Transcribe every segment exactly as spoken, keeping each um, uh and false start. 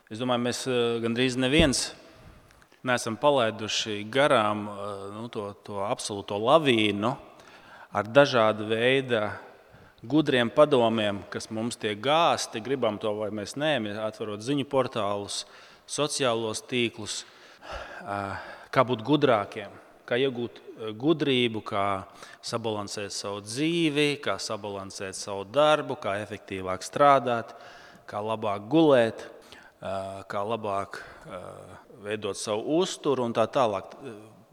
Es domāju, mēs gandrīz neviens neesam palaiduši garām nu, to, to absolūto lavīnu ar dažādu veidu gudriem padomiem, kas mums tiek gāsti, gribam to vai mēs nē, atverot ziņu portālus, sociālos tīklus, kā būt gudrākiem, kā iegūt gudrību, kā sabalansēt savu dzīvi, kā sabalansēt savu darbu, kā efektīvāk strādāt, kā labāk gulēt, kā labāk veidot savu uzturu un tā tālāk.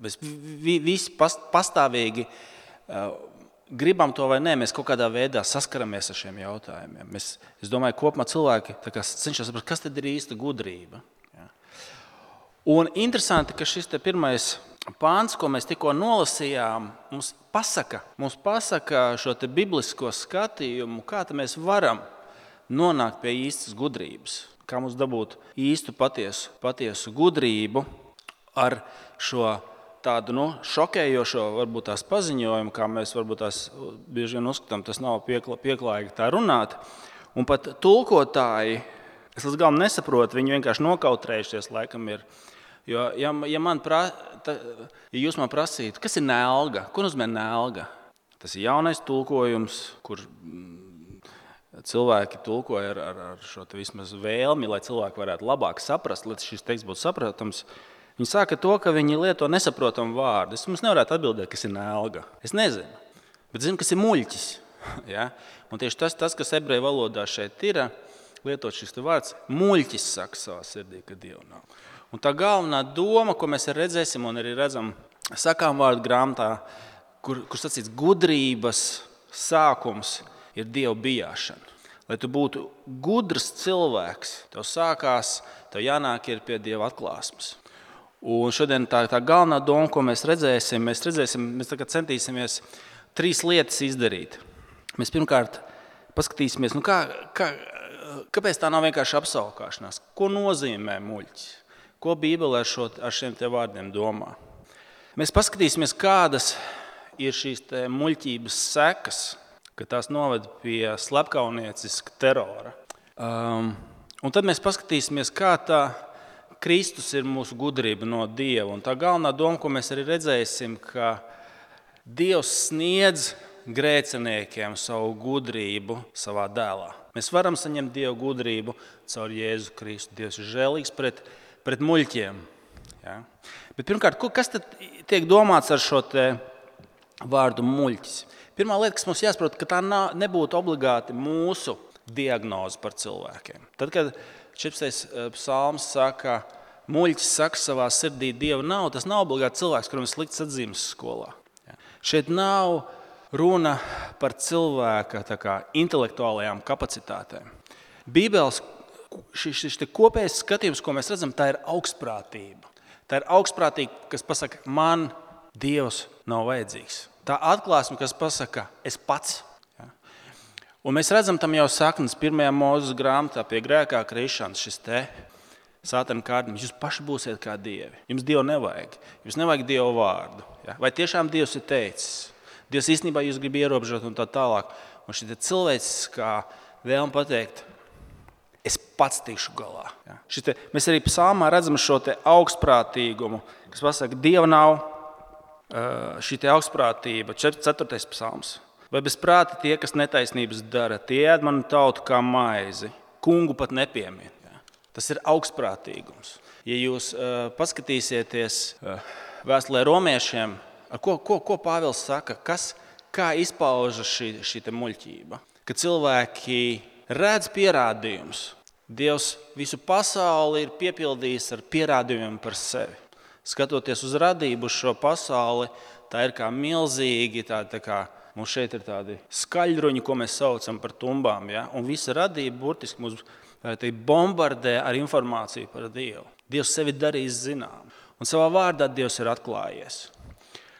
Mēs visi pastāvīgi gribam to vai nē, mēs kaut kādā veidā saskaramies ar šiem jautājumiem. Mēs, es domāju, kopumā cilvēki cenšas saprast, kas tad ir īsta gudrība. Ja? Un interesanti, ka šis te pirmais pāns, ko mēs tikko nolasījām, mums pasaka, mums pasaka šo te biblisko skatījumu, kā mēs varam nonākt pie īstas gudrības. Kā mums dabūt īstu patiesu, patiesu gudrību ar šo tādu nu, šokējošo varbūt tās paziņojumu, kā mēs varbūt tās bieži vien uzskatām, tas nav piekla, pieklājīgi tā runāt. Un pat tulkotāji, es līdz galam nesaprotu, viņi vienkārši nokautrējušies laikam ir. Jo, ja, ja, man pra, ta, ja jūs man prasītu, kas ir nelga, ko nozīmē nelga? Tas ir jaunais tulkojums, kur cilvēki tulkoja ar, ar, ar šo te vismaz vēlmi, lai cilvēki varētu labāk saprast, lai šis teksts būtu saprotams. Viņi sāka to, ka viņi lieto nesaprotamu vārdu. Es mums nevarētu atbildēt, kas ir nelga. Es nezinu, bet zinu, kas ir muļķis. Ja? Un tieši tas, tas, kas ebreju valodā šeit ir, lietot šis vārds, muļķis saka savā sirdī, ka Dievu nav. Un tā galvenā doma, ko mēs redzēsim un arī redzam sakām vārdu grāmatā, kur, kur sacīts gudrības sākums ir Dievu bijāšana. Lai tu būtu gudrs cilvēks, tev sākās, tev jānāk ir pie Dieva atklāsmes. Un šodien tā, tā galvenā doma, ko mēs redzēsim, mēs redzēsim, mēs tagad centīsimies trīs lietas izdarīt. Mēs pirmkārt paskatīsimies, nu kā, kā, kāpēc tā nav vienkārši apsaukāšanās, ko nozīmē muļķis, ko Bībelē šo, ar šiem te vārdiem domā. Mēs paskatīsimies, kādas ir šīs te muļķības sekas, ka tās noved pie slepkaunieciska terora. Um, un tad mēs paskatīsimies, kā tā Kristus ir mūsu gudrība no Dieva. Un tā galvenā doma, ko mēs arī redzēsim, ka Dievs sniedz grēciniekiem savu gudrību savā dēlā. Mēs varam saņemt Dieva gudrību caur Jēzu Kristu. Dievs ir žēlīgs pret, pret muļķiem. Ja? Bet pirmkārt, kas tad tiek domāts ar šo te vārdu muļķis? Pirmā lieta, kas mums jāsaprot, ka tā nebūtu obligāti mūsu diagnoze par cilvēkiem. Tad, kad četrpadsmitais psalms saka, muļķis saka savā sirdī, Dieva nav, tas nav obligāti cilvēks, kuram ir slikts atzīmes skolā. Ja. Šeit nav runa par cilvēka tā kā, intelektuālajām kapacitātēm. Bībeles šis, šis kopējais skatījums, ko mēs redzam, tā ir augstprātība. Tā ir augstprātība, kas pasaka, man Dievs nav vajadzīgs. Tā atklāsme, kas pasaka, es pats. Ja? Un mēs redzam tam jau saknes pirmajā Mūzes grāmatā pie grēkā krišanas, šis te sātana kārdinājums. Jūs paši būsiet kā dievi. Jums Dievu nevajag. Jums nevajag Dievu vārdu. Ja? Vai tiešām Dievs ir teicis? Dievs īstenībā jūs grib ierobežot un tā tālāk. Un šī cilvēks kā vēlme pateikt, es pats tikšu galā. Ja? Šite, mēs arī psalmā redzam šo te augstprātīgumu, kas pasaka, Dieva nav. Šī te augstprātība, ceturtais psalms. Vai bez prāta tie, kas netaisnības dara, tie ēd manu tautu kā maizi, kungu pat nepiemin. Ja? Tas ir augstprātīgums. Ja jūs uh, paskatīsieties uh, vēstulē romiešiem, ko, ko, ko Pāvils saka, kas, kā izpaužas šī, šī te muļķība? Ka cilvēki redz pierādījumus. Dievs visu pasauli ir piepildījis ar pierādījumiem par sevi. Skatoties uz radību, uz šo pasauli, tā ir kā milzīgi, tā, tā kā mums šeit ir tādi skaļruņi, ko mēs saucam par tumbām. Ja? Un visa radība burtiski mūs bombardē ar informāciju par Dievu. Dievs sevi darīs zinām. Un savā vārdā Dievs ir atklājies.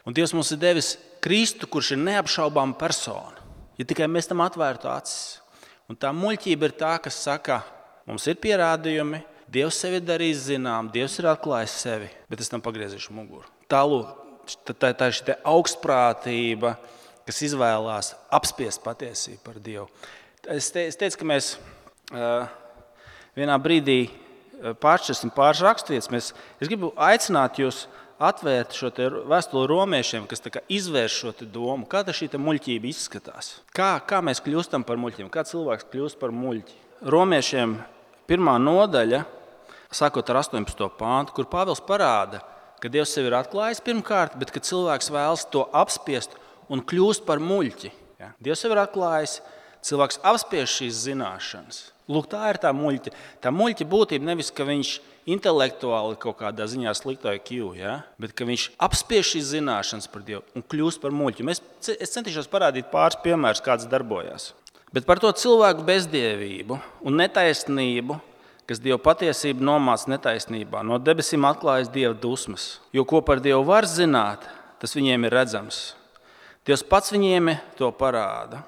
Un Dievs mums ir devis Kristu, kurš ir neapšaubāma persona. Ja tikai mēs tam atvērtu acis. Un tā muļķība ir tā, kas saka, mums ir pierādījumi, Dievs sevi darīs zinām, Dievs ir atklājis sevi, bet es tam pagriezīšu muguru. Tālūk, tā, tā ir šī augstprātība, kas izvēlās apspiest patiesību par Dievu. Es, te, es teicu, ka mēs uh, vienā brīdī pāršķirsim pāris raksturvietas. Mēs, es gribu aicināt jūs atvērt šo vēstuli romiešiem, kas tā kā izvērš šo te domu. Kā šī te muļķība izskatās? Kā, kā mēs kļūstam par muļķiem? Kā cilvēks kļūst par muļķi? Romiešiem pirmā nodaļa, sākot ar astoņpadsmito pāntu, kur Pāvils parāda, ka Dievs sevi ir atklājis pirmkārt, bet ka cilvēks vēlas to apspiest un kļūst par muļķi. Ja? Dievs sevi ir atklājis, cilvēks apspiež šīs zināšanas. Lūk, tā ir tā muļķa. Tā muļķa būtība nevis, ka viņš intelektuāli kaut kādā ziņā slikto I Q, ja? Bet ka viņš apspiež šīs zināšanas par Dievu un kļūst par muļķi. Mēs, es centīšos parādīt pāris piemērus, kāds darbojās. Bet par to cilvēku bezdievību un netaisnību, kas Dieva patiesību nomāca netaisnībā, no debesīm atklājas Dieva dusmas. Jo ko par Dievu var zināt, tas viņiem ir redzams. Dievs pats viņiem to parāda.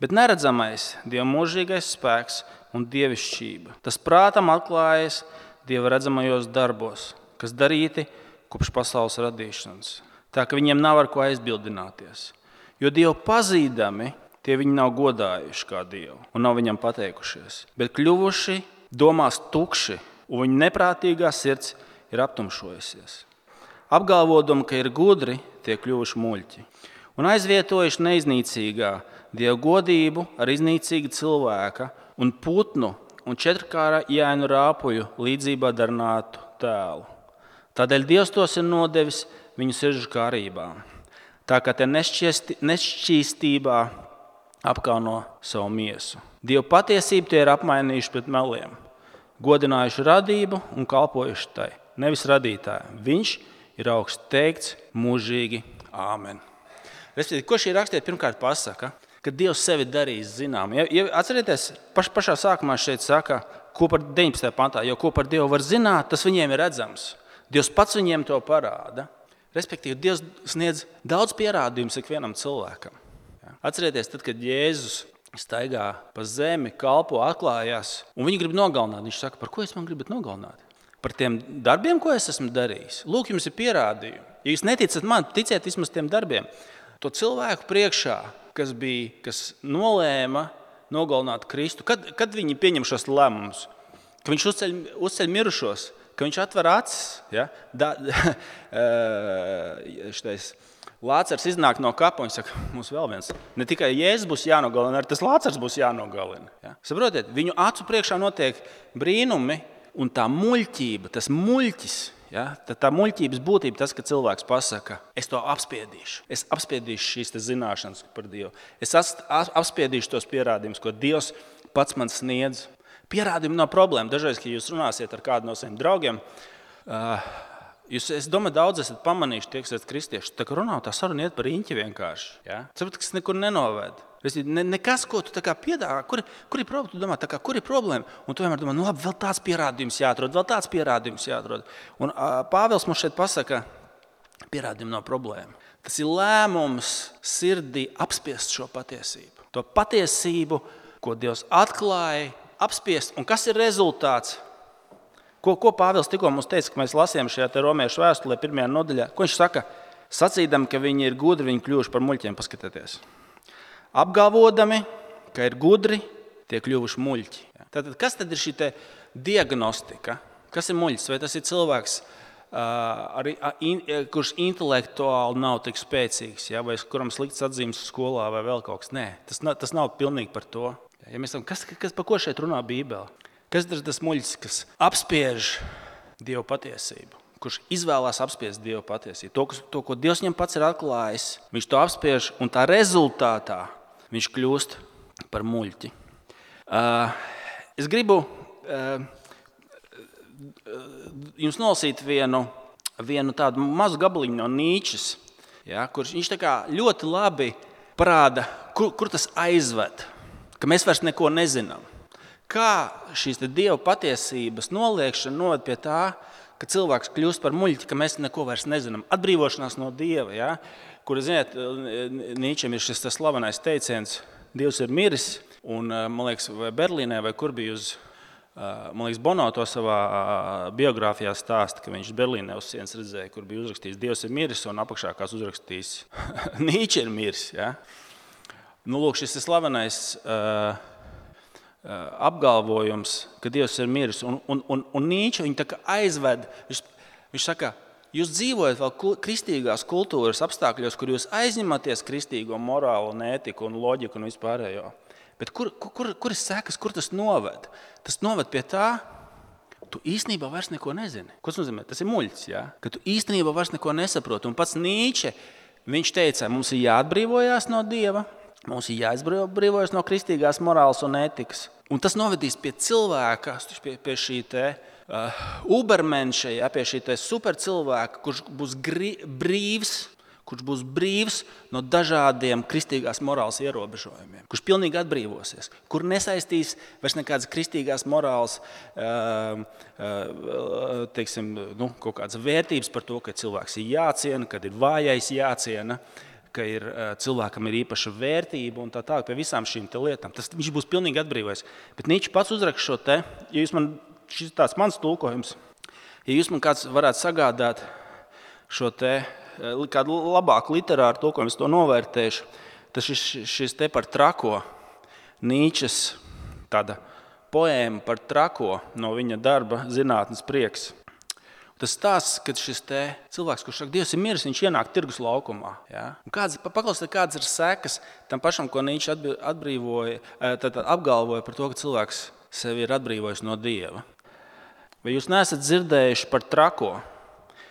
Bet neredzamais Dieva mūžīgais spēks un dievišķība. Tas prātam atklājas Dieva redzamajos darbos, kas darīti kopš pasaules radīšanas. Tā ka viņiem nav ar ko aizbildināties. Jo Dievu pazīdami, tie viņi nav godājuši kā Dievu un nav viņam pateikušies, bet kļuvuši domās tukši, un viņa neprātīgā sirds ir aptumšojusies. Apgalvodam, ka ir gudri, tie kļuvuši muļķi. Un aizvietojuši neiznīcīgā Dieva godību ar iznīcīgu cilvēka un putnu un četrkāra jāinu rāpuju līdzībā darnātu tēlu. Tādēļ Dievs tos ir nodevis viņu sirdžu kārībā. Tā kā te nešķīstībā apkauno savu miesu. Dieva patiesību tie ir apmainījuši pret meliem. Godinājuši radību un kalpojuši tai, nevis radītāji. Viņš ir augsts teikts mūžīgi. Āmen. Respektīvi, ko šī rakstiet pirmkārt pasaka? Ka Dievs sevi darīs zinām. Ja, ja atcerieties, paš, pašā sākumā šeit saka, ko par deviņpadsmitajā pantā, jo ko par Dievu var zināt, tas viņiem ir redzams. Dievs pats viņiem to parāda. Respektīvi, Dievs sniedz daudz pierādījumus ikvienam cilvēkam. Ja. Atcerieties, tad, kad Jēzus staigā pa zemi, kalpo, atklājās, un viņi grib nogalināt. Viņš saka, par ko jūs man gribat nogalināt? Par tiem darbiem, ko es esmu darījis. Lūk, jums ir pierādījumi. Ja jūs neticat man, ticiet vismaz tiem darbiem. To cilvēku priekšā, kas bija, kas nolēma nogalināt Kristu, kad, kad viņi pieņem šos lēmumus, ka viņš uzceļ, uzceļ mirušos, ka viņš atver acis, ja? da, šitais, Lācars iznāk no kapa un saka, mums vēl viens, ne tikai Jēzus būs jānogalina, arī tas Lācars būs jānogalina. Ja? Saprotiet, viņu acu priekšā notiek brīnumi un tā muļķība, tas muļķis, ja? Tā muļķības būtība tas, ka cilvēks pasaka, es to apspiedīšu, es apspiedīšu šīs zināšanas par Dievu, es apspiedīšu tos pierādījumus, ko Dievs pats man sniedz. Pierādījumi nav problēma. Dažreiz, kad jūs runāsiet ar kādu no saviem draugiem, uh, jūs, es domāju, daudz esat pamanījuši, tie, kas esat kristieši, tā kā runā, tā saruna iet par riņķi vienkārši. Ja? Saprot, kas nekur nenoved. Ne, nekas, ko tu tā kā piedāvā, kur, kur ir problēma, tu domā, tā kā, kur ir problēma? Un tu vienmēr domā, nu labi, vēl tāds pierādījums jāatrod, vēl tāds pierādījums jāatrod. Un uh, Pāvils mums šeit pasaka, pierādījumi nav problēma. Tas ir lēmums sirdī apspiest šo patiesību. To patiesību, ko Dievs atklāja, apspiest. Un kas ir rezultāts? Ko, ko Pāvils tikko mums teica, ka mēs lasījām šajā te romiešu vēstulē pirmajā nodaļā? Ko viņš saka? Sacīdam, ka viņi ir gudri, viņi kļuvuši par muļķiem, paskatieties. Apgalvodami, ka ir gudri, tie kļuvuši muļķi. Tātad, kas tad ir šī te diagnostika? Kas ir muļķis? Vai tas ir cilvēks, uh, ar, in, kurš intelektuāli nav tik spēcīgs, ja? Vai kuram slikts atzīmes skolā vai vēl kaut kas? Nē, tas, nav, tas nav pilnīgi par to. Ja mēs tam, kas, kas, par ko šeit runā Bībele? Kas ir tas muļķis, kas apspiež Dieva patiesību? Kurš izvēlās apspiest Dieva patiesību? To, to, ko Dievs viņam pats ir atklājis, viņš to apspiež un tā rezultātā viņš kļūst par muļķi. Uh, es gribu uh, jums nolasīt vienu, vienu tādu mazu gabaliņu no Nīčes, ja, kurš viņš tā kā ļoti labi parāda, kur, kur tas aizved. Ka mēs vairs neko nezinām. Kā šīs Dieva patiesības noliekšana noved pie tā, ka cilvēks kļūst par muļķi, ka mēs neko vairs nezinām. Atbrīvošanās no Dieva, ja? Kur, ziniet, Nīčem ir šis tas slavenais teiciens, Dievs ir miris, un, man liekas, vai Berlīnē, vai kur bija uz, man liekas, Bono to savā biogrāfijā stāsta, ka viņš Berlīnē uz sienas redzēja, kur bija uzrakstījis, Dievs ir miris, un apakšā kāds uzrakstījis, Nīče ir miris, ja? Nu, lūk, šis ir slavenais uh, apgalvojums, ka Dievs ir miris. Un, un, un, un Nīče viņu tā kā aizved. Viņš, viņš saka, jūs dzīvojat vēl kristīgās kultūras apstākļos, kur jūs aizņematies kristīgo morālu, un ētiku un loģiku un vispārējo. Bet kur, kur, kur ir sekas, kur tas noved? Tas noved pie tā, tu īstenībā vairs neko nezini. Ko tas nozīmē? Tas ir muļķis, ja? Ka tu īstenībā vairs neko nesaproti. Un pats Nīče, viņš teica, mums ir jāatbrīvojās no Dieva, mums ir jāatbrīvojas no kristīgās morāles un ētikas. Un tas novedīs pie cilvēka, pie, pie šī te uh, ubermenša, ja, pie šī te supercilvēka, kurš būs gri, brīvs, kurš būs brīvs no dažādiem kristīgās morāles ierobežojumiem, kurš pilnīgi atbrīvosies, kur nesaistīs vairs nekādas kristīgās morāles, uh, uh, teiksim, nu, kaut kādas vērtības par to, ka cilvēks ir jāciena, kad ir vājais jāciena, ka ir, cilvēkam ir īpaša vērtība un tā tālāk pie visām šīm te lietām. Tas, viņš būs pilnīgi atbrīvojies. Bet Nīče pats uzrakst šo te, ja jūs man, šis tāds mans tulkojums, ja jūs man kāds varētu sagādāt šo te, kādu labāku literāru tulkojumu, es to novērtēšu, tas šis, šis te par trako, Nīčes tāda poēma par trako no viņa darba Zinātnes prieks. Tas stāsts, kad šis te cilvēks, kurš saka, Dievs ir miris, viņš ienāk tirgus laukumā. Ja? Kāds, paklausiet, kādas ir sekas tam pašam, ko Nīče atbrīvoja, tad apgalvoja par to, ka cilvēks sevi ir atbrīvojis no Dieva. Vai jūs neesat dzirdējuši par trako,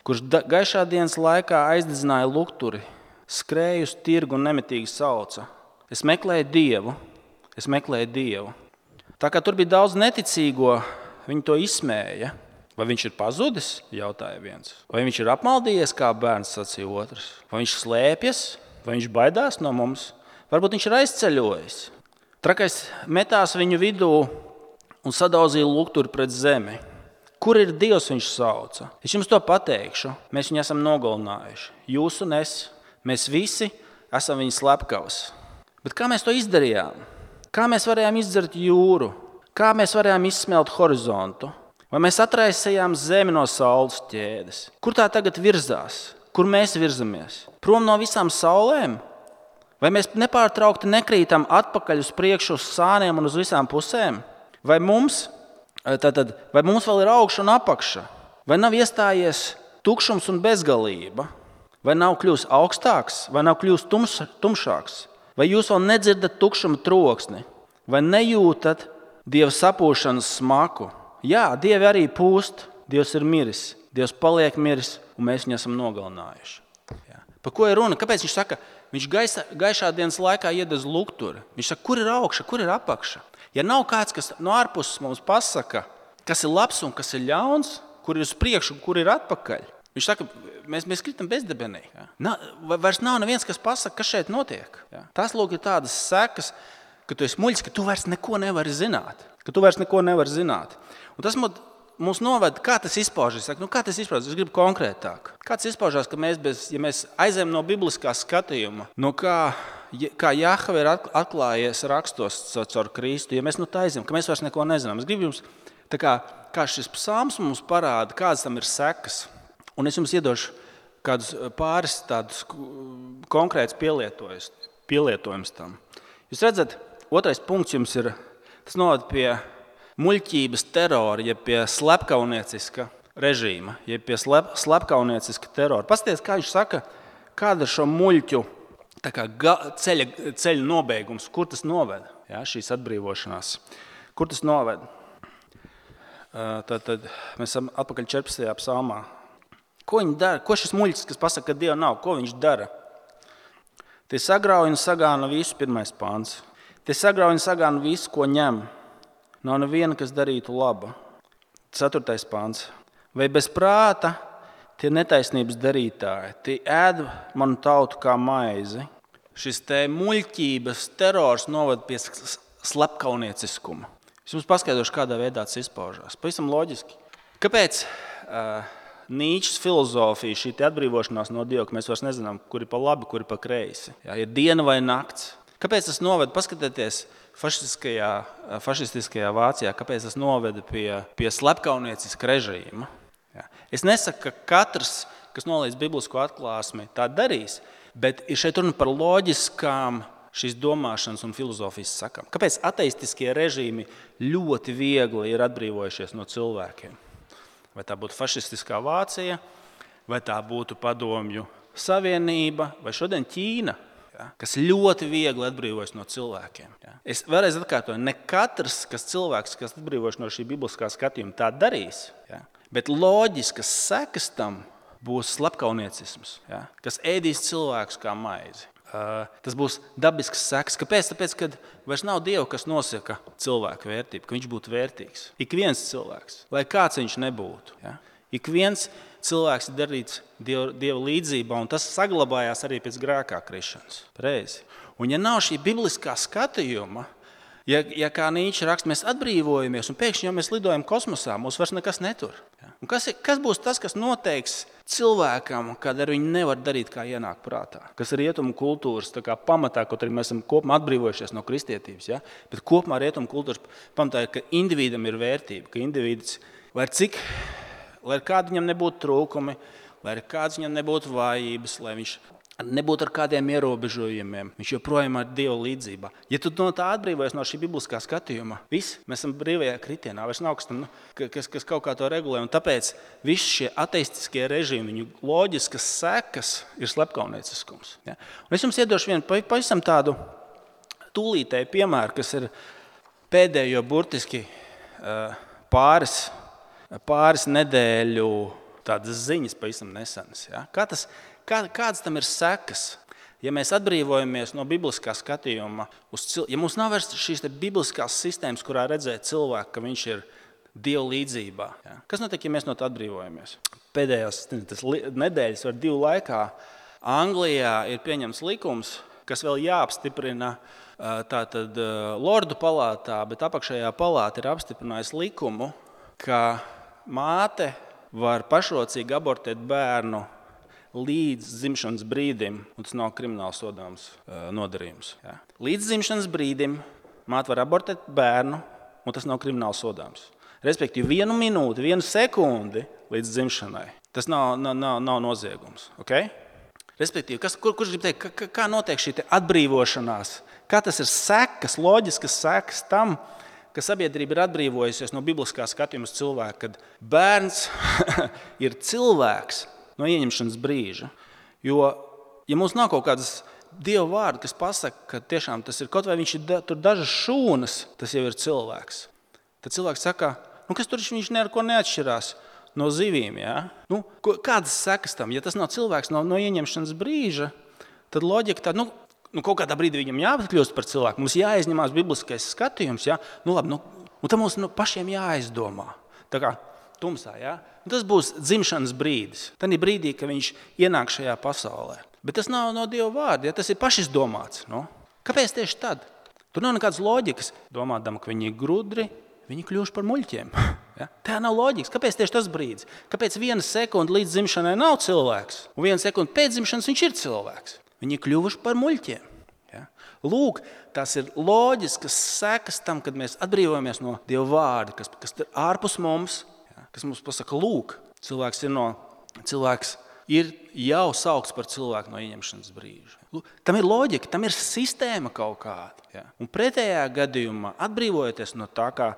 kurš gaišā dienas laikā aizdedzināja lukturi, skrēja uz tirgu un nemitīgi sauca? Es meklēju Dievu, es meklēju Dievu. Tā kā tur bija daudz neticīgo, viņi to izsmēja. Vai viņš ir pazudis, jautāja viens. Vai viņš ir apmaldījies, kā bērns, sacīja otrs. Vai viņš slēpjas, vai viņš baidās no mums. Varbūt viņš ir aizceļojis. Trakais metās viņu vidū un sadauzīja lukturi pret zemi. Kur ir Dievs, viņš sauca? Es jums to pateikšu, mēs viņu esam nogalinājuši. Jūs un es, mēs visi esam viņa slepkavas. Bet kā mēs to izdarījām? Kā mēs varējām izdzert jūru? Kā mēs varējām izsmelt horizontu? Vai mēs atraisījām zemi no saules ķēdes? Kur tā tagad virzās? Kur mēs virzamies? Prom no visām saulēm? Vai mēs nepārtraukti nekrītam atpakaļ uz priekšu uz sāniem un uz visām pusēm? Vai mums, tātad, vai mums vēl ir augša un apakša? Vai nav iestājies tukšums un bezgalība? Vai nav kļūst augstāks? Vai nav kļūst tums, tumšāks? Vai jūs vēl nedzirdat tukšuma troksni? Vai nejūtat Dieva sapūšanas smaku? Jā, Dievi arī pūst, Dievs ir miris, Dievs paliek miris, un mēs viņu esam nogalinājuši. Jā. Par ko ir runa? Kāpēc viņš saka, viņš gaisa, gaišā dienas laikā iedez lukturi? Viņš saka, kur ir augša, kur ir apakša? Ja nav kāds, kas no ārpuses mums pasaka, kas ir labs un kas ir ļauns, kur ir uz priekšu un kur ir atpakaļ, viņš saka, mēs, mēs kritam bezdebenī. Jā. Na, vairs nav neviens, kas pasaka, kas šeit notiek. Jā. Tas lūk ir tādas sekas, ka tu esi muļķis, ka tu vairs neko nevari zināt. Ka tu vairs neko nevari zināt. Un tas mums noved, kā tas izpaužas. Nu, kā tas izpaužas? Es gribu konkrētāk. Kā tas izpaužas, ka mēs, bez, ja mēs aizējam no bibliskā skatījuma, no kā, kā Jahve ir atklājies rakstos caur Kristu, ja mēs no tā aizējam, ka mēs vairs neko nezinām. Es gribu jums, tā kā, kā šis psalms mums parāda, kādas tam ir sekas. Un es jums iedošu kādus pāris tādus konkrētus pielietojums tam. Jūs redzat, otrais punkts jums ir, tas noved pie muļķības terora, ja pie slepkaunieciska režīma, ja pie slep, slepkaunieciska terora. Pasties, kā viņš saka, kāda ir šo muļķu tā kā ga, ceļa, ceļa nobeigums, kur tas noved, jā, šīs atbrīvošanās. Kur tas noved? Tad, tad mēs esam atpakaļ četrpadsmitajā psalmā. Ko viņi dara? Ko šis muļķis, kas pasaka, ka Dieva nav, ko viņš dara? Tie sagrauj un sagāna visu, pirmais pāns. Tie sagrauj un sagāna visu, ko ņem. Nav neviena, kas darītu labu. Ceturtais pāns. Vai bez prāta tie netaisnības darītāji, tie ēd manu tautu kā maizi. Šis te muļķības terors noved pie slepkaunieciskuma. Es jums paskaidrošu, kādā veidā tas izpaužās. Pavisam loģiski. Kāpēc uh, Nīčes filozofija, šī atbrīvošanās no Dieva, ka mēs vairs nezinām, kur ir pa labi, kur ir pa kreisi? Jā, ir diena vai nakts. Kāpēc tas noved? Paskatieties, fašistiskajā, fašistiskajā Vācijā, kāpēc tas noveda pie, pie slepkaunieciska režīma. Jā. Es nesaku, ka katrs, kas nolīdz biblisko atklāsmi, tā darīs, bet ir šeit runa par loģiskām šīs domāšanas un filozofijas sakām. Kāpēc ateistiskie režīmi ļoti viegli ir atbrīvojušies no cilvēkiem? Vai tā būtu fašistiskā Vācija, vai tā būtu Padomju Savienība, vai šodien Ķīna, ja, kas ļoti viegli atbrīvojas no cilvēkiem. Ja. Es vēlreiz atkārtoju, ne katrs, kas cilvēks, kas atbrīvojas no šī bibliskā skatījuma, tā darīs, ja, bet loģiskas sekas tam būs slepkauniecisms, ja, kas ēdīs cilvēkus kā maizi. Uh, tas būs dabisks seks. Kāpēc? Tāpēc, kad vairs nav Dieva, kas nosaka cilvēku vērtību, ka viņš būtu vērtīgs. Ik viens cilvēks, lai kāds viņš nebūtu. Ja? Ik viens cilvēks ir darīts Dieva, Dieva līdzībā, un tas saglabājās arī pēc grēkā krišanas. Pareizi. Un ja nav šī bibliskā skatījuma, ja, ja kā Nīčs raksta, mēs atbrīvojamies, un pēkšņi jau mēs lidojam kosmosā, mūs vairs nekas netur. Ja? Un kas, ir, kas būs tas, kas noteiks cilvēkam, kad ar viņu nevar darīt, kā ienāk prātā? Kas ir rietumu kultūras tā kā pamatā, kaut arī mēs esam kopumā atbrīvojušies no kristietības, ja? Bet kopumā rietumu kultūras pamatā ir, ka individam ir vērtība, ka individs, lai cik, lai kādi viņam nebūtu trūkumi, lai kāds viņam nebūtu vājības, lai viņš nebūtu ar kādiem ierobežojumiem, viņš joprojām ir Dieva līdzībā. Ja tu no tā atbrīvojies no šī bibliskā skatījuma, viss, mēs esam brīvajā kritienā, vairs nav kas, tam, kas, kas kaut kā to regulē, un tāpēc visi šie ateistiskie režīmi, viņu loģiskas sekas ir slepkaunieciskums. Ja? Un es jums iedošu vienu pavisam tādu tūlītēju piemēru, kas ir pēdējo burtiski pāris, pāris nedēļu tādas ziņas pavisam nesenas. Ja? Kā tas Kā, kādas tam ir sekas? Ja mēs atbrīvojamies no bibliskā skatījuma, uz cil... ja mums nav vairs šīs bibliskās sistēmas, kurā redzēt cilvēku, ka viņš ir Dieva līdzībā. Ja? Kas notiek, ja mēs no tā atbrīvojamies? Pēdējās tas, nedēļas vai divu laikā Anglijā ir pieņemts likums, kas vēl jāapstiprina tātad Lordu palātā, bet apakšējā palāta ir apstiprinājusi likumu, ka māte var pašrocīgi abortēt bērnu līdz dzimšanas brīdim, un tas nav krimināli sodāms uh, nodarījums. Ja. Līdz dzimšanas brīdim māte var abortēt bērnu, un tas nav krimināli sodāms. Respektīvi, vienu minūti, vienu sekundi līdz dzimšanai. Tas nav, nav, nav, nav noziegums. Okay? Respektīvi, kas, kur, kurš grib teikt, kā, kā notiek šī atbrīvošanās? Kā tas ir sekas, loģiskas sekas tam, ka sabiedrība ir atbrīvojusies no bibliskā skatījuma uz cilvēku, kad bērns ir cilvēks no ieņemšanas brīža. Jo, ja mums nav kaut kādas Dieva vārdi, kas pasaka, ka tiešām tas ir, kaut vai viņš ir da, tur dažas šūnas, tas jau ir cilvēks. Tad cilvēks saka, nu kas tur viņš ne ar ko neatšķirās no zivīm, ja? Nu, kādas sekas tam? Ja tas nav cilvēks no, no ieņemšanas brīža, tad loģika tā, nu, nu kaut kādā brīdī viņam jāatkļūst par cilvēku, mums jāizņemās bibliskais skatījums, ja? Nu labi, nu, un tam mums nu, pašiem jāizdomā. Tā kā tumsā, ja? Tas būs dzimšanas brīdis. Tad ir brīdī, ka viņš ienāk šajā pasaulē. Bet tas nav no Dieva vārda, ja? Tas ir pašizdomāts. No? Kāpēc tieši tad? Tur nav nekādas loģikas. Domādam, ka viņi ir grudri, viņi kļūst par muļķiem. Ja? Tā nav loģikas. Kāpēc tieši tas brīdis? Kāpēc viena sekunde līdz dzimšanai nav cilvēks, un viena sekunde pēc dzimšanas viņš ir cilvēks? Viņi ir kļuvuši par muļķiem. Ja? Lūk, tās ir loģiskas sekas tam, kad mēs atbrīvojamies no Dieva vārda, kas, kas ir ārpus mums, kas mums pasaka, lūk, cilvēks ir, no, cilvēks ir jau saukts par cilvēku no ieņemšanas brīža. Lūk, tam ir loģika, tam ir sistēma kaut kāda. Ja? Un pretējā gadījumā, atbrīvojoties no tā, kā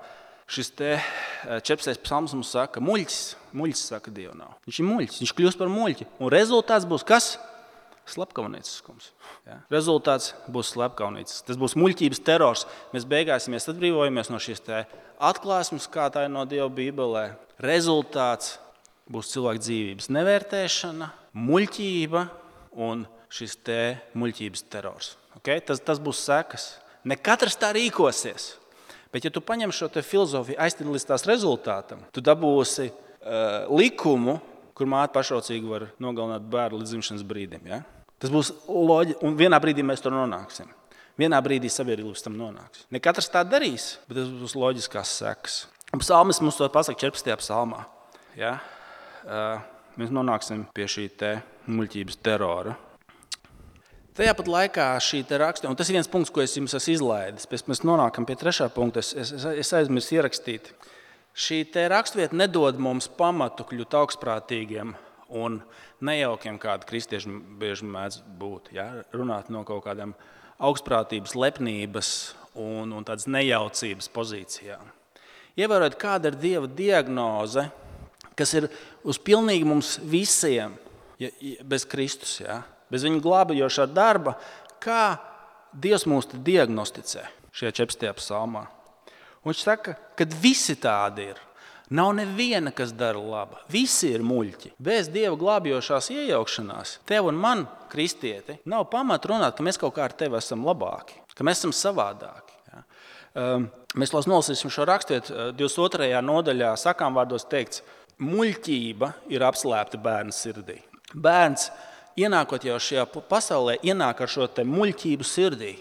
šis te četrpadsmitais psalms mums saka, muļķis, muļķis saka, Dievu nav. Viņš ir muļķis, viņš kļūst par muļķi. Un rezultāts būs kas? Slepkaunieciskums. Ja? Rezultāts būs slepkaunieciskums. Tas būs muļķības terors. Mēs beigās, ja mēs atbrīvojamies no šīs te atklāsmes, kā tā ir no Dieva Bībelē, rezultāts būs cilvēka dzīvības nevērtēšana, muļķība un šis te muļķības terors. Okay? Tas, tas būs sekas. Ne katrs tā rīkosies. Bet ja tu paņem šo te filozofiju aiztid līdz tās rezultātam, tu dabūsi uh, likumu, kur māte pašrocīgi var nogalināt bērnu līdz dzimšanas brīdim. Ja? Tas būs loģi, un vienā brīdī mēs tur nonāksim. Vienā brīdī sabiedrība līdz tam nonāks. Ne katrs tā darīs, bet tas būs loģiskās sekas. Psalmis mums to pasaka četrpadsmitajā psalmā. Ja? Uh, mēs nonāksim pie šī te muļķības terora. Tajā pat laikā šī te raksta, un tas ir viens punkts, ko es jums esmu izlaidis, pēc mēs nonākam pie trešā punkta, es, es, es aizmirsu ierakstīt. Šī te rakstvieta nedod mums pamatu kļūt augstprātīgiem un nejaukiem, kādi kristieši bieži mēdz būt, ja? Runāt no kaut kādiem augstprātības, lepnības un, un tādas nejaucības pozīcijā. Ievērojot, kāda ir Dieva diagnoze, kas ir uz pilnīgi mums visiem, ja, bez Kristus, ja, bez viņa glābjošā darba, kā Dievs mūs diagnosticē šajā četrdesmitajā psalmā. Un viņš saka, ka visi tādi ir. Nav neviena, kas dara labu. Visi ir muļķi. Bez Dieva glābjošās iejaukšanās tev un man, kristieti, nav pamata runāt, ka mēs kaut kā ar tevi esam labāki, ka mēs esam savādāki. Ja. Um, mēs nolasīsim šo rakstietu divdesmit otrajā nodaļā, sakām vārdos teikts, muļķība ir apslēpta bērna sirdī. Bērns, ienākot jau šajā pasaulē, ienāk ar šo te muļķību sirdī,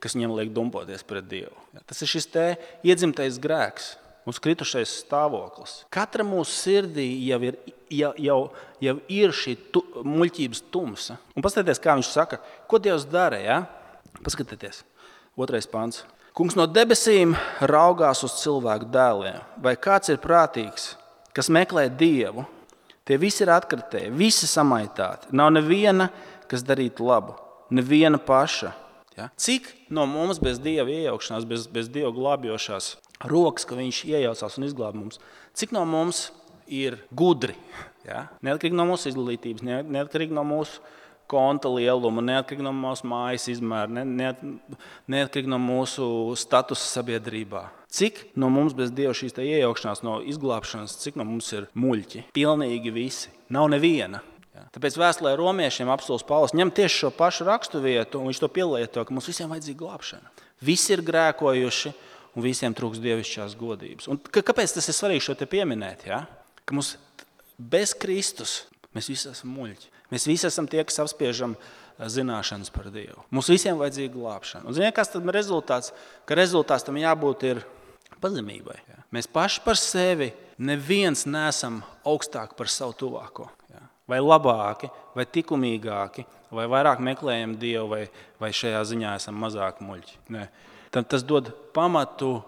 kas viņam liek dumpoties pret Dievu. Ja. Tas ir šis te iedzimtais grēks. Mums kritušais stāvoklis. Katra mūsu sirdī jau ir, jau, jau, jau ir šī tu, muļķības tumsa. Un paskatieties, kā viņš saka, ko Dievs dara, ja? Paskatieties, otrais pants. Kungs no debesīm raugās uz cilvēku dēliem. Vai kāds ir prātīgs, kas meklē Dievu? Tie visi ir atkritēji, visi samaitāti. Nav neviena, kas darītu labu, neviena paša. Ja? Cik no mums bez Dieva iejaukšanās, bez, bez Dieva glābjošās rokas, ka viņš iejaucās un izglāb mums. Cik no mums ir gudri? Ja? Neatkarīgi no mūsu izglītības, neatkarīgi no mūsu konta lieluma, neatkarīgi no mūsu mājas izmēra, neat, neatkarīgi no mūsu statusa sabiedrībā. Cik no mums bez Dieva šīs iejaukšanās, no izglābšanas, cik no mums ir muļķi? Pilnīgi visi. Nav neviena. Ja? Tāpēc vēstulē romiešiem apostols Pāvils ņem tieši šo pašu raksturvietu, un viņš to pielieto, ka mums visiem vajadzīga glābšana. Visi ir grēkojuši, un visiem trūks dievišķās godības. Un kāpēc tas ir svarīgi šo te pieminēt? Ja? Ka mums bez Kristus mēs visi esam muļķi. Mēs visi esam tie, kas apspiežam zināšanas par Dievu. Mums visiem vajadzīga glābšana. Un ziniet, kas tad ir rezultāts? Ka rezultāts tam jābūt ir pazemībai. Ja? Mēs paši par sevi neviens neesam augstāk par savu tuvāko. Ja? Vai labāki, vai tikumīgāki, vai vairāk meklējam Dievu, vai, vai šajā ziņā esam mazāk muļķi. Ne. Tas dod pamatu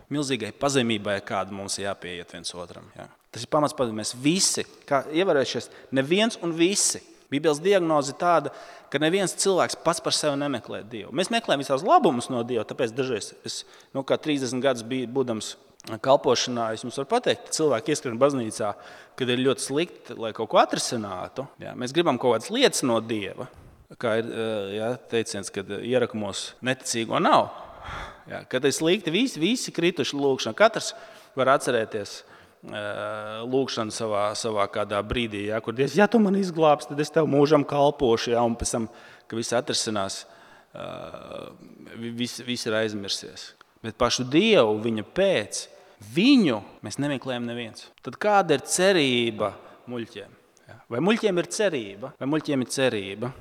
milzīgai pazemībai, kāda mums jāpieiet viens otram. Ja. Tas ir pamats, ka mēs visi, kā ievērojušies, neviens un visi. Bībeles diagnoze tāda, ka neviens cilvēks pats par sevi nemeklē Dievu. Mēs meklējam visās labumus no Dieva, tāpēc dažreiz es, nu, kā trīsdesmit gadus biju būdams kalpošanā, es jums varu pateikt, ka cilvēki ieskrien baznīcā, kad ir ļoti slikti, lai kaut ko atrisinātu. Ja. Mēs gribam kaut kādas lietas no Dieva, kā ir ja, teiciens, kad ierakumos neticīgo nav. Ja, kad ir slikti, visi, visi krituši lūkšana. Katrs var atcerēties uh, lūkšanu savā, savā kādā brīdī, ja, kur Dievs, ja tu man izglābs, tad es tev mūžam kalpošu, ja, un pēc tam, ka viss atrisinās, uh, viss, viss ir aizmirsies. Bet pašu Dievu, viņa pēc, viņu mēs nemeklējam neviens. Tad kāda ir cerība muļķiem? Ja? Vai muļķiem ir cerība? Vai muļķiem ir cerība?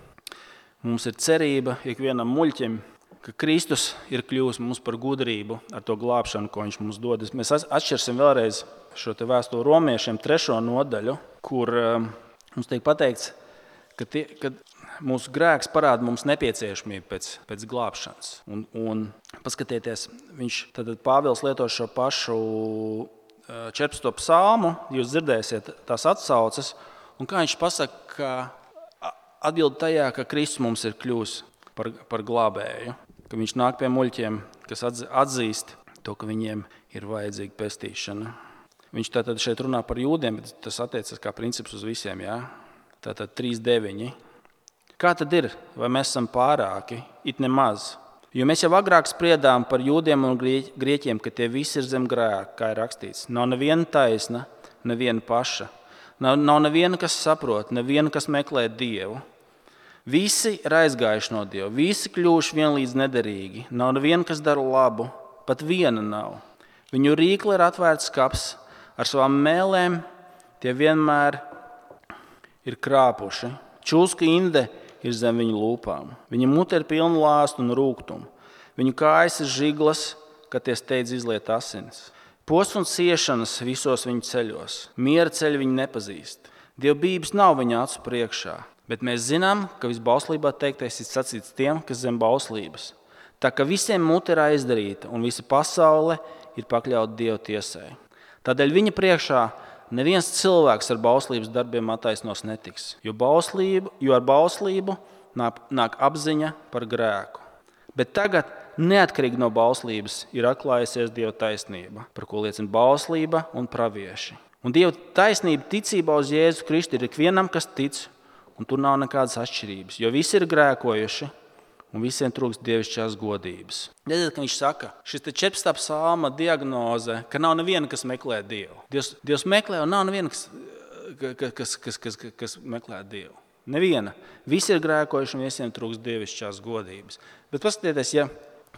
Mums ir cerība ikvienam muļķim, ka Kristus ir kļuvis mums par gudrību ar to glābšanu, ko viņš mums dod. Mēs atšķirsim vēlreiz šo te vēstuli romiešiem trešo nodaļu, kur um, mums tiek pateikts, ka, tie, ka mūsu grēks parāda mums nepieciešamību pēc, pēc glābšanas. Un, un paskatieties, viņš tad Pāvils lieto šo pašu četrdesmito psalmu, jūs dzirdēsiet tās atsauces, un kā viņš pasaka, ka atbild tajā, ka Kristus mums ir kļuvis par, par glābēju. Ka viņš nāk pie muļķiem, kas atzīst to, ka viņiem ir vajadzīga pestīšana. Viņš tātad šeit runā par jūdiem, bet tas attiecas kā princips uz visiem. Jā? Tātad trīs deviņi. Kā tad ir? Vai mēs esam pārāki? It nemaz. Jo mēs jau agrāk spriedām par jūdiem un grieķiem, ka tie visi ir zem grēka, kā ir rakstīts. Nav neviena taisna, neviena paša. Nav, nav neviena, kas saprot, neviena, kas meklē Dievu. Visi ir aizgājuši no Dieva, visi kļuvuši vienlīdz nederīgi. Nav neviena, kas dara labu, pat viena nav. Viņu rīkli ir atvērts skapis, ar savām mēlēm tie vienmēr ir krāpuši. Čūska inde ir zem viņu lūpām. Viņa mute ir pilna lāstu un rūgtumu. Viņu kājas ir žiglas, kad tie steidz izliet asinis. Posts un ciešanas visos viņu ceļos. Miera ceļu viņi nepazīst. Dievbības nav viņa acu priekšā. Bet mēs zinām, ka visbauslībā teiktais ir sacīts tiem, kas zem bauslības. Tā ka visiem mute ir aizdarīta un visa pasaule ir pakļauta Dieva tiesai. Tādēļ viņa priekšā neviens cilvēks ar bauslības darbiem attaisnos netiks, jo, bauslību, jo ar bauslību nāk, nāk apziņa par grēku. Bet tagad, neatkarīgi no bauslības, ir atklājusies Dieva taisnība, par ko liecina bauslība un pravieši. Un Dieva taisnība ticībā uz Jēzu Kristu ir ikvienam, kas tic, un tur nav nekādas atšķirības, jo visi ir grēkojuši un visiem trūkst dievišķās godības. Redziet, ka viņš saka, šis četrpadsmitā psalma diagnoze, ka nav neviena, kas meklē Dievu. Dievs, Dievs meklē un nav neviena, kas, kas, kas, kas, kas, kas meklē Dievu. Neviena. Visi ir grēkojuši un visiem trūkst dievišķās godības. Bet paskatieties, ja,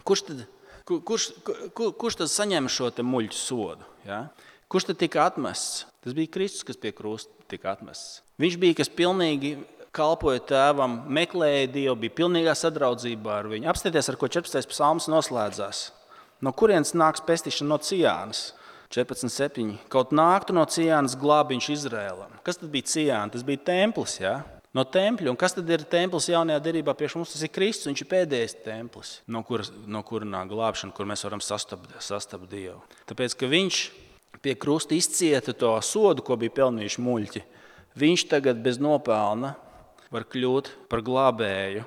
kurš, tad, kurš, kur, kurš tad saņem šo te muļķu sodu? Ja? Kurš tad tika atmests? Tas bija Kristus, kas pie krusta tika atmests. Viņš bija, kas pilnīgi kalpoja tēvam, meklēja Dievu, bija pilnīgā sadraudzībā ar viņu. Apstieties, ar ko četrpadsmitais psalms noslēdzās. No kurienes nāks pestīšana? No Cijānas. četrpadsmit septiņi. Kaut nāktu no Cijānas glābiņš Izrēlam. Kas tad bija Cijāna? Tas bija templis, ja? No tempļa. Un kas tad ir templis jaunajā derībā priekš mums? Tas ir Kristus, viņš ir pēdējais templis, no kura, no kura nāk glābšana, kur mēs varam sastapt, sastapt Dievu. Tāpēc, ka viņš pie krusta izcieta to sodu, ko bija pelnījuši muļķi, viņš tagad bez nopelna var kļūt par glābēju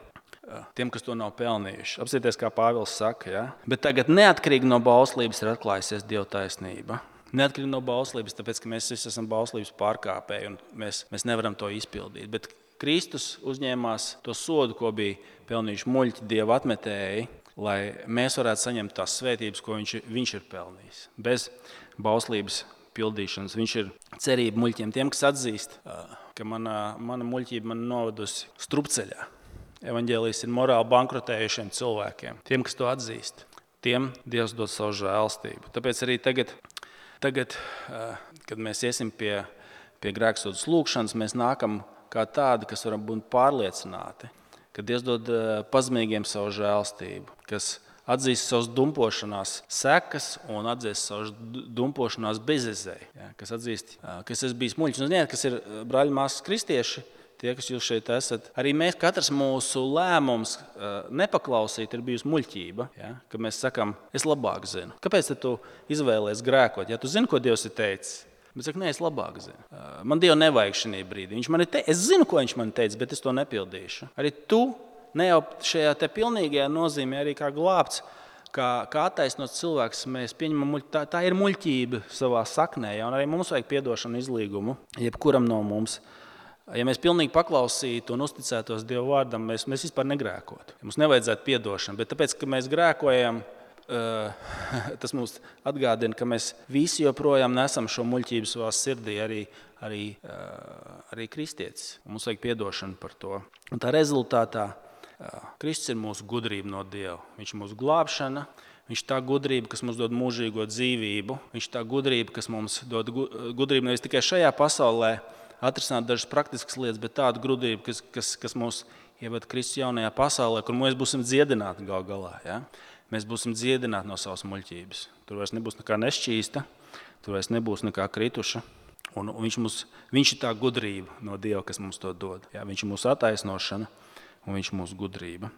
tiem, kas to nav pelnījuši. Apsieties, kā Pāvils saka, ja? Bet tagad neatkarīgi no bauslības ir atklājusies Dieva taisnība. Neatkarīgi no bauslības, tāpēc, ka mēs visi esam bauslības pārkāpēji un mēs, mēs nevaram to izpildīt. Bet Kristus uzņēmās to sodu, ko bija pelnījuši muļķi Dieva atmetēji, lai mēs varētu saņemt tās svētības, ko viņš, viņš ir pelnījis. Bez bauslības pildīšanas. Viņš ir cerība muļķiem, tiem, kas atzīst, ka mana, mana muļķība man novedusi strupceļā. Evaņģēlijs ir morāli bankrotējušiem cilvēkiem. Tiem, kas to atzīst, tiem Dievs dod savu žēlstību. Tāpēc arī tagad, tagad kad mēs iesim pie, pie grēksodas lūkšanas, mēs nākam kā tādi, kas varam būt pārliecināti, ka Dievs dod pazemīgiem savu žēlstību, kas atzīst savas dumpošanās sekas un atzīst savas dumpošanās bezizēju, ja, kas atzīst, ka es esmu bijis muļķis. Un ziniet, kas ir brāļi māsas kristieši, tie, kas jūs šeit esat, arī mēs, katrs mūsu lēmums nepaklausīt ir bijusi muļķība, ja, ka mēs sakam, es labāk zinu. Kāpēc tu izvēlies grēkot? Ja tu zini, ko Dievs ir teicis? Bet saka, nē, es labāk zinu. Man Dievu nevajag šajā brīdī. Viņš man te... Es zinu, ko viņš man teica, bet es to nepildīšu. Arī tu ne jau šajā te pilnīgajā nozīmē arī kā glābts, kā, kā attaisnots cilvēks, mēs pieņemam muļķību. Tā, tā ir muļķība savā saknē, ja, un arī mums vajag piedošanu izlīgumu, jebkuram no mums. Ja mēs pilnīgi paklausītu un uzticētos Dieva vārdam, mēs, mēs vispār negrēkotu. Mums nevajadzētu piedošanu, bet tāpēc, ka mēs grēkojam, tas mums atgādina, ka mēs visi joprojām nesam šo muļķību savā sirdī, arī, arī, arī kristietis. Mums vajag piedošanu par to. Un tā rezultātā Kristus ir mūsu gudrība no Dieva. Viņš ir mūsu glābšana, viņš ir tā gudrība, kas mums dod mūžīgo dzīvību, viņš ir tā gudrība, kas mums dod gudrību nevis tikai šajā pasaulē atrisināt dažas praktiskas lietas, bet tādu gudrību, kas, kas, kas mūs ieved Kristus jaunajā pasaulē, kur mēs būsim dziedināti gal galā. Ja? Mēs būsim dziedināti no savas muļķības. Tur vairs nebūs nekā nešķīsta, tur vairs nebūs nekā krituša. Un viņš, mums, viņš ir tā gudrība no Dieva, kas mums to dod. Jā, viņš ir mūsu attaisnošana un viņš ir mūsu gudrība.